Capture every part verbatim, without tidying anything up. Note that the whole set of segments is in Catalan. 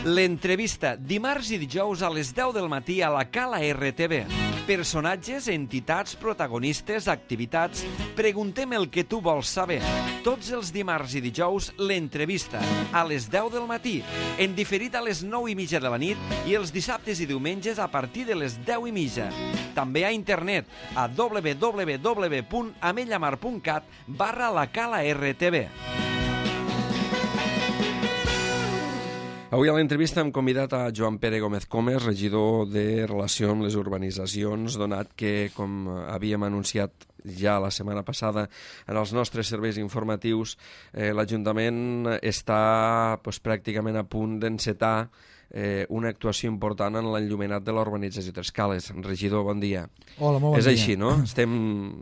L'entrevista, dimarts i dijous a les deu del matí a la Cala R T V. Personatges, entitats, protagonistes, activitats... Preguntem el que tu vols saber. Tots els dimarts i dijous, l'entrevista, a les deu del matí, en diferit a les nou i mitja de la nit i els dissabtes i diumenges a partir de les deu i mitja. També a internet a w w w punt amellamar punt cat barra la Cala R T V. Avui a l'entrevista hem convidat a Joan Pere Gómez Comes, regidor de Relació amb les Urbanitzacions, donat que, com havíem anunciat ja la setmana passada en els nostres serveis informatius, eh, l'Ajuntament està pues, pràcticament a punt d'encetar eh, una actuació important en l'enllumenat de l'urbanització Tres Cales. Regidor, bon dia. Hola, molt bon és dia. És així, no? Estem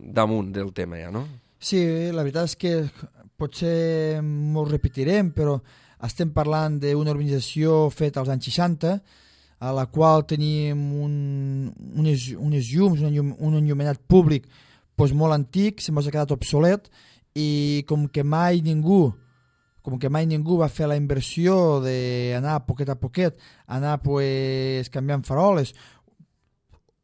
damunt del tema ja, no? Sí, la veritat és que potser m'ho repetirem, però estem parlant d'una urbanització feta als anys seixanta, a la qual tenim un, unes, unes llums, un, llum, un enllumenat públic doncs molt antic, se m'ha quedat obsolet, i com que mai ningú com que mai ningú va fer la inversió d'anar poquet a poquet, anar pues, canviant faroles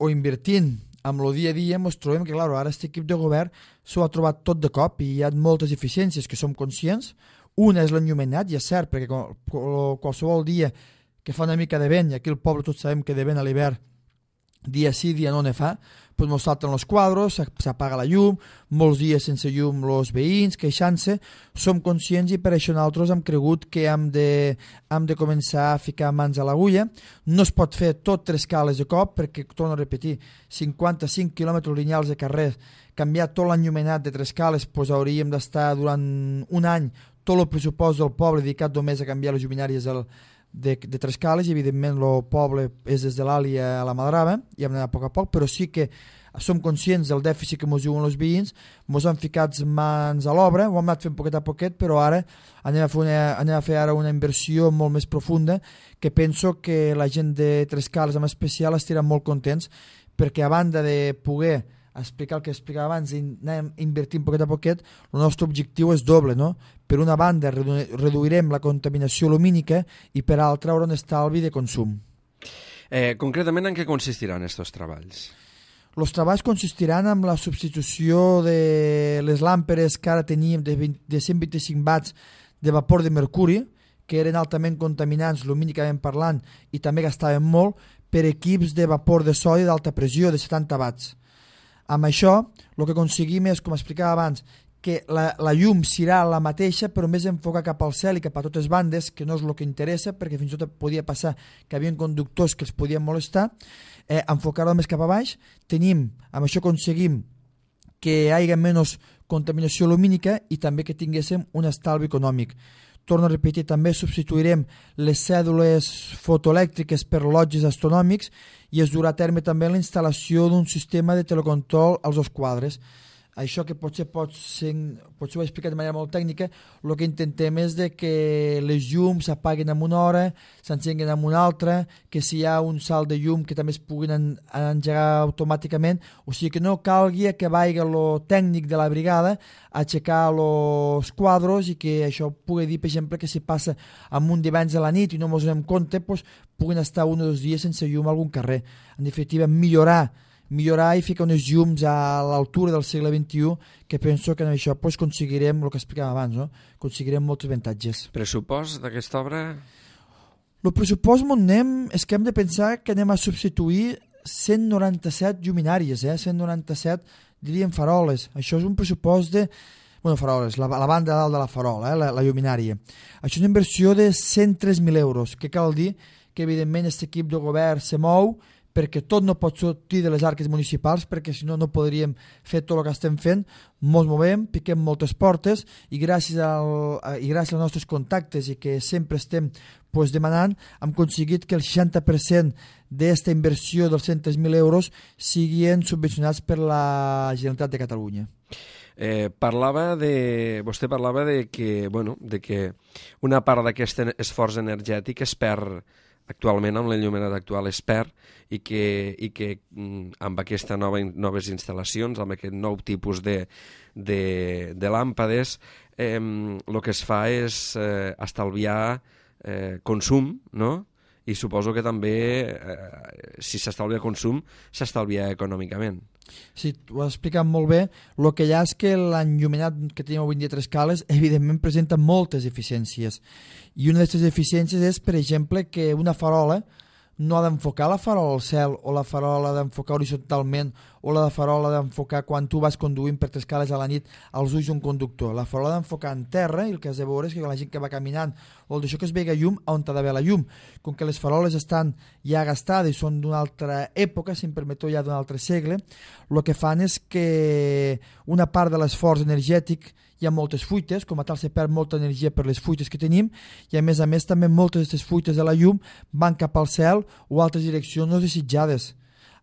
o invertint amb el dia a dia, ens trobem que clar, ara aquest equip de govern s'ho ha trobat tot de cop i hi ha moltes eficiències que som conscients. Una és l'enllumenat, i és cert, perquè qualsevol dia que fa una mica de vent, i aquí al poble tots sabem que de vent a l'hivern, dia sí, dia no ne fa, doncs ens salten els quadros, s'apaga la llum, molts dies sense llum els veïns, queixant-se, som conscients i per això nosaltres hem cregut que hem de, hem de començar a ficar mans a l'agulla. No es pot fer tot Tres Cales de cop, perquè, torno a repetir, cinquanta-cinc quilòmetres lineals de carrer, canviar tot l'enllumenat de Tres Cales, doncs hauríem d'estar durant un any tot el pressupost del poble dedicat només a canviar les lluminàries del, de, de Tres Cales, i evidentment el poble és des de l'Àlia a la Madrava, i hem d'anar a poc a poc, però sí que som conscients del dèficit que ens diuen els veïns, ens han ficat mans a l'obra, ho hem anat fent poquet a poquet, però ara anem a fer, una, anem a fer ara una inversió molt més profunda, que penso que la gent de Tres Cales en especial estiran molt contents, perquè a banda de poder explicar el que explicava abans i anem invertint poquet a poquet, el nostre objectiu és doble, no? Per una banda redu reduirem la contaminació lumínica i per altra haurà un estalvi de consum. Eh, concretament, en què consistiran aquests treballs? Els treballs consistiran en la substitució de les làmperes que ara teníem de, vint, de cent vint-i-cinc watts de vapor de mercuri, que eren altament contaminants lumínicament parlant i també gastaven molt, per equips de vapor de sodi d'alta pressió de setanta watts. Amb això, el que aconseguim és, com explicava abans, que la, la llum serà la mateixa, però més enfocar cap al cel i cap a totes bandes, que no és el que interessa, perquè fins i tot podia passar que hi havia conductors que els podien molestar, eh, enfocar-ho més cap a baix. Tenim, amb això aconseguim que hi hagi menys contaminació lumínica i també que tinguéssim un estalvi econòmic. Torno a repetir, també substituirem les cèdules fotoelèctriques per rellotges astronòmics i es durà a terme també la instal·lació d'un sistema de telecontrol als dos quadres. Això que potser pot ser, potser ho he explicat de manera molt tècnica, el que intentem és de que les llums s'apaguen en una hora, s'encenguen en una altra, que si hi ha un salt de llum que també es puguin en, engegar automàticament, o sigui que no calgui que vagi el tècnic de la brigada a aixecar els quadros i que això pugui dir, per exemple, que si passa amb un divendres a la nit i no ens donem compte, doncs, puguin estar un o dos dies sense llum a algun carrer. En definitiva, millorar millorar i ficar unes llums a l'altura del segle vint-i-u, que penso que amb això pues, aconseguirem el que explicàvem abans, no? Aconseguirem molts avantatges. Pressupost d'aquesta obra? El pressupost on anem és que hem de pensar que anem a substituir cent noranta-set lluminàries, eh? cent noranta-set, diríem, faroles. Això és un pressupost de... Bueno, faroles, la, la banda de dalt de la farola, eh? la, la lluminària. Això és una inversió de cent tres mil euros, que cal dir que, evidentment, aquest equip de govern se mou, perquè tot no pot sortir de les arques municipals, perquè si no no podríem fer tot el que estem fent. Ens movem, piquem moltes portes i gràcies, al, i gràcies als nostres contactes i que sempre estem pues, demanant, hem aconseguit que el seixanta per cent d'aquesta inversió dels cent tres mil euros siguin subvencionats per la Generalitat de Catalunya. Eh, parlava de, vostè parlava de que, bueno, de que una part d'aquest esforç energètic es perd actualment, amb l'enllumenat actual es perd, i que, i que amb aquestes nova, noves instal·lacions, amb aquest nou tipus de, de, de làmpades, eh, el que es fa és eh, estalviar eh, consum, no? I suposo que també, eh, si s'estalvia consum, s'estalvia econòmicament. Sí, ho has explicat molt bé. El que hi ha és que l'enllumenat que tenim avui en dia a Trescales evidentment presenta moltes eficiències. I una d'aquestes eficiències és, per exemple, que una farola no ha d'enfocar la farola al cel, o la farola ha d'enfocar horitzontalment, o la farola ha d'enfocar quan tu vas conduint per Trescales a la nit als ulls d'un conductor. La farola ha d'enfocar en terra, i el que has de veure és que la gent que va caminant o d'això que es vega llum, on ha d'haver la llum. Com que les faroles estan ja gastades i són d'una altra època, si em permeteu, ja d'un altre segle, el que fan és que una part de l'esforç energètic, hi ha moltes fuites, com a tal se perd molta energia per les fuites que tenim, i a més a més també moltes d'aquestes fuites de la llum van cap al cel o altres direccions no desitjades.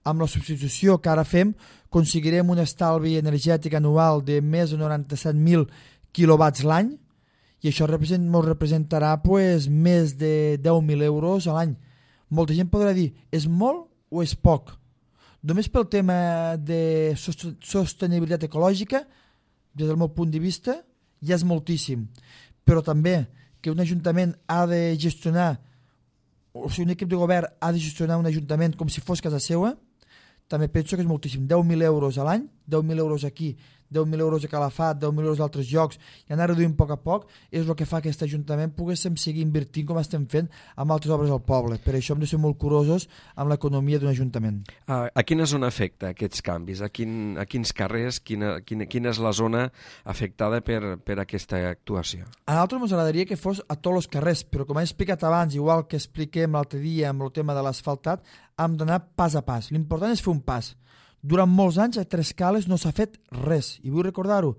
Amb la substitució que ara fem, aconseguirem un estalvi energètic anual de més de noranta-set mil quilowatts l'any, i això represent, ens representarà pues, més de deu mil euros a l'any. Molta gent podrà dir, és molt o és poc? Només pel tema de sostenibilitat ecològica, des del meu punt de vista, ja és moltíssim. Però també que un ajuntament ha de gestionar, o sigui, un equip de govern ha de gestionar un ajuntament com si fos casa seva, també penso que és moltíssim. deu mil euros a l'any, deu mil euros aquí, deu mil euros a Calafat, deu mil euros a altres llocs, i anar reduint a poc a poc és el que fa que aquest ajuntament poguéssim seguir invertint com estem fent amb altres obres al poble. Per això hem de ser molt curosos amb l'economia d'un ajuntament. A, a quina zona afecta aquests canvis? A, quin, a quins carrers? Quina, quina, quina és la zona afectada per, per aquesta actuació? A nosaltres ens agradaria que fos a tots els carrers, però com he explicat abans, igual que expliquem l'altre dia amb el tema de l'asfaltat, hem d'anar pas a pas. L'important és fer un pas. Durant molts anys a Trescales no s'ha fet res, i vull recordar-ho,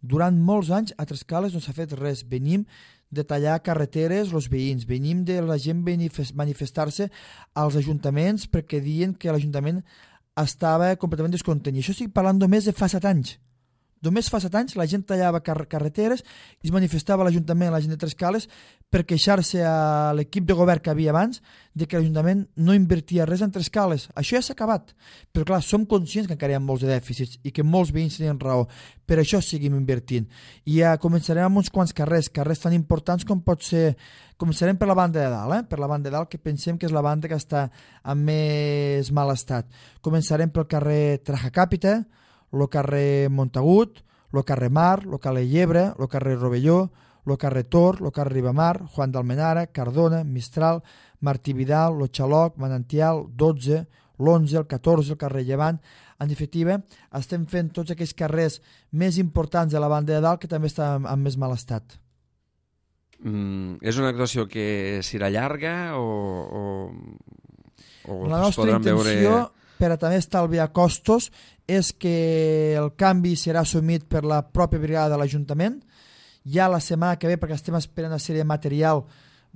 durant molts anys a Trescales no s'ha fet res. Venim de tallar carreteres els veïns, venim de la gent manifestar-se als ajuntaments perquè diuen que l'Ajuntament estava completament descontent. I això estic parlant només de fa set anys. Només fa set anys la gent tallava car carreteres i es manifestava a l'Ajuntament, la gent de Trescales, per queixar-se a l'equip de govern que havia abans de que l'Ajuntament no invertia res en Trescales. Això ja s'ha acabat. Però clar, som conscients que encara hi ha molts de dèficits i que molts veïns tenien raó. Per això seguim invertint. I ja començarem amb uns quants carrers, carrers tan importants com pot ser... Començarem per la banda de dalt, eh? per la banda de dalt, que pensem que és la banda que està en més mal estat. Començarem pel carrer Trajacàpita, el carrer Montagut, el carrer Mar, el carrer Llebre, el carrer Rovelló, el carrer Tor, el carrer Ribamar, Juan d'Almenara, Cardona, Mistral, Martí Vidal, el Xaloc, Manantial, dotze, l'onze, el catorze, el carrer Llevant. En definitiva, estem fent tots aquells carrers més importants de la banda de dalt que també estan en més mal estat. Mm, és una actuació que serà llarga o, o, o la es nostra podran intenció, veure... per a també estalviar costos, és que el canvi serà assumit per la pròpia brigada de l'Ajuntament. Ja la setmana que ve, perquè estem esperant una sèrie de material,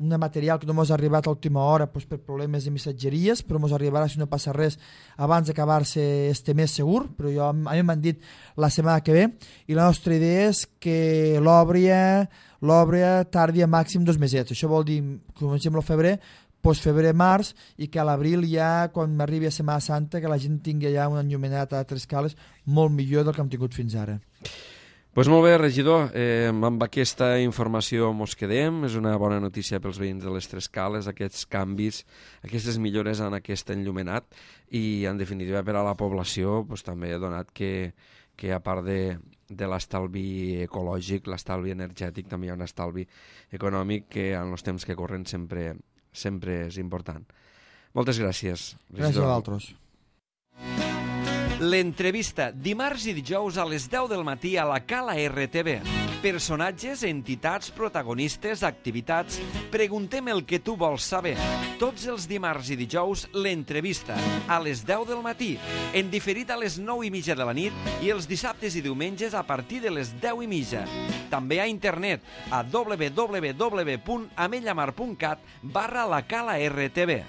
una material que no ens ha arribat a última hora doncs, per problemes de missatgeries, però ens arribarà, si no passa res, abans d'acabar-se este mes segur, però jo, a mi m'han dit la setmana que ve, i la nostra idea és que l'obra l'obra tardi a màxim dos mesets. Això vol dir, comencem el febrer, doncs febrer-març, i que a l'abril ja, quan arribi a Setmana Santa, que la gent tingui ja un enllumenat a Trescales molt millor del que hem tingut fins ara. Pues molt bé, regidor, eh, amb aquesta informació mos quedem. És una bona notícia pels veïns de les Trescales, aquests canvis, aquestes millores en aquest enllumenat, i en definitiva per a la població pues, també he donat que, que a part de, de l'estalvi ecològic, l'estalvi energètic, també hi ha un estalvi econòmic que en els temps que corren sempre, sempre és important. Moltes gràcies, regidor. Gràcies a vosaltres. L'entrevista, dimarts i dijous a les deu del matí a la Cala R T V. Personatges, entitats, protagonistes, activitats... Preguntem el que tu vols saber. Tots els dimarts i dijous, l'entrevista, a les deu del matí, en diferit a les nou i mitja de la nit i els dissabtes i diumenges a partir de les deu i mitja. També a internet, a w w w punt amellamar punt cat barra la Cala R T V.